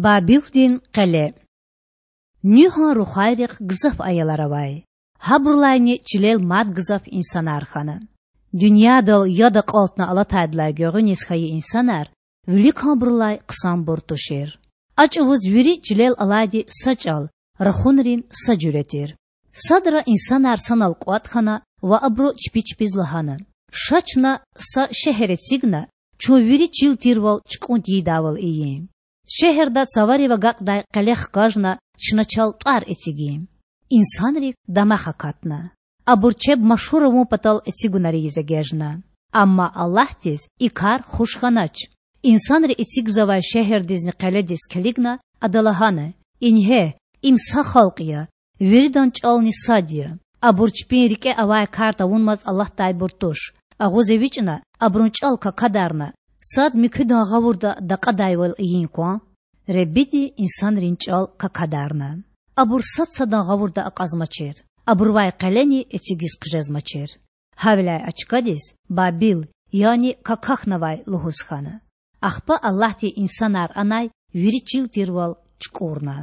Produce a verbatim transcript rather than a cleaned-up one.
Бабилдин къеле. Нуьгьан рухвайрихъ гзаф аялар авай. Гьабурулайни чилел мад гзаф инсанар хьана. Дуьньядал яд акьалтна алатайдалай гуьгъуьниз хьайи инсанар виликанбурулай хъсанбур тушир. А чІавуз вири чилел алайди са чІал, рахунрин са жуьре тир. Садра инсанар санал кІватІ хьана ва абуру чпи чпиз лагьана: Ша чна са шегьер эцигна, чун вири чил тирвал чукІун тийидайвал ийин. Шегьерда цаварив агакьдай къеле хкажна, чна чал тІвар эцигин. Инсанрик дамах акатна. Абур чеб машгьур авун патал эцигунар ийиз эгечІна. Амма Аллагьдиз и кар хуш хьанач. Инсанри эцигзавай шегьердизни къеледиз килигна, Ада лагьана: Ингье, им са халкь я, виридан чІални сад я. Абур чпин рикІе авай кар тавунмаз алатдайбур туш. Агъуз эвичІна, абурун чІал какадарна, сад муькуьдан гъавурда такьадайвал ийин кван. Худади инсанрин чІал какадарна. Абур сад садан гъавурда акьазмачир, абурувай къелени эцигиз хъжезмачир. Гьавиляй а чкадиз Бабил, яни Какахьнавай лугьуз хьана. Ахпа Аллагьди инсанар анай вири чил тирвал чукІурна.